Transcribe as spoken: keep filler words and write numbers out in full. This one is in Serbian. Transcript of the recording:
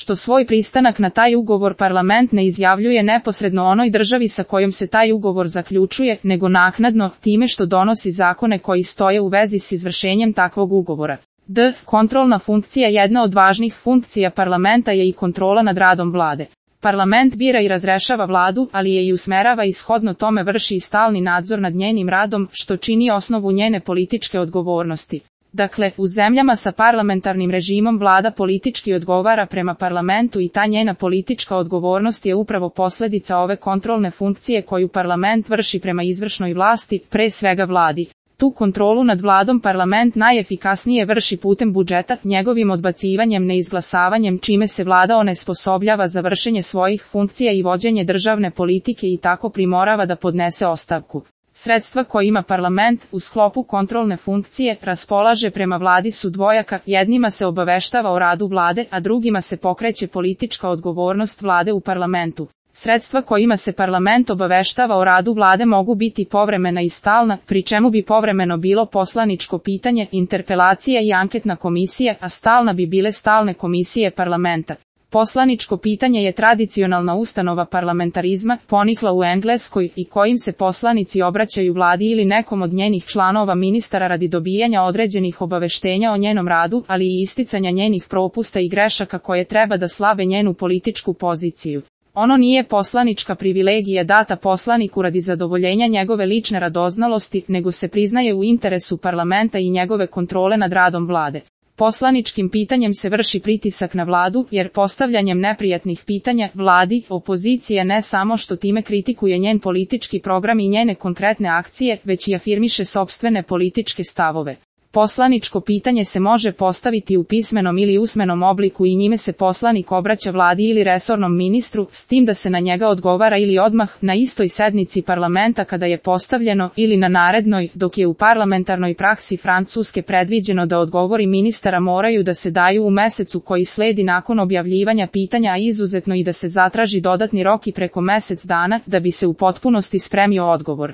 što svoj pristanak na taj ugovor parlament ne izjavljuje neposredno onoj državi sa kojom se taj ugovor zaključuje, nego naknadno, time što donosi zakone koji stoje u vezi s izvršenjem takvog ugovora. D. Kontrolna funkcija. Jedna od važnih funkcija parlamenta je i kontrola nad radom vlade. Parlament bira i razrešava vladu, ali je i usmerava i shodno tome vrši i stalni nadzor nad njenim radom, što čini osnovu njene političke odgovornosti. Dakle, u zemljama sa parlamentarnim režimom vlada politički odgovara prema parlamentu i ta njena politička odgovornost je upravo posljedica ove kontrolne funkcije koju parlament vrši prema izvršnoj vlasti, pre svega vladi. Tu kontrolu nad vladom parlament najefikasnije vrši putem budžeta, njegovim odbacivanjem, neizglasavanjem, čime se vlada onesposobljava za vršenje svojih funkcija i vođenje državne politike i tako primorava da podnese ostavku. Sredstva koje ima parlament u sklopu kontrolne funkcije raspolaže prema vladi su dvojaka, jednima se obaveštava o radu vlade, a drugima se pokreće politička odgovornost vlade u parlamentu. Sredstva kojima se parlament obaveštava o radu vlade mogu biti povremena i stalna, pri čemu bi povremeno bilo poslaničko pitanje, interpelacija i anketna komisija, a stalna bi bile stalne komisije parlamenta. Poslaničko pitanje je tradicionalna ustanova parlamentarizma, ponikla u Engleskoj i kojim se poslanici obraćaju vladi ili nekom od njenih članova ministara radi dobijanja određenih obaveštenja o njenom radu, ali i isticanja njenih propusta i grešaka koje treba da slabe njenu političku poziciju. Ono nije poslanička privilegija data poslaniku radi zadovoljenja njegove lične radoznalosti, nego se priznaje u interesu parlamenta i njegove kontrole nad radom vlade. Poslaničkim pitanjem se vrši pritisak na vladu, jer postavljanjem neprijatnih pitanja vladi, opozicija ne samo što time kritikuje njen politički program i njene konkretne akcije, već i afirmiše sopstvene političke stavove. Poslaničko pitanje se može postaviti u pismenom ili usmenom obliku i njime se poslanik obraća vladi ili resornom ministru, s tim da se na njega odgovara ili odmah na istoj sednici parlamenta kada je postavljeno ili na narednoj, dok je u parlamentarnoj praksi Francuske predviđeno da odgovori ministara moraju da se daju u mesecu koji sledi nakon objavljivanja pitanja, a izuzetno i da se zatraži dodatni rok i preko mesec dana da bi se u potpunosti spremio odgovor.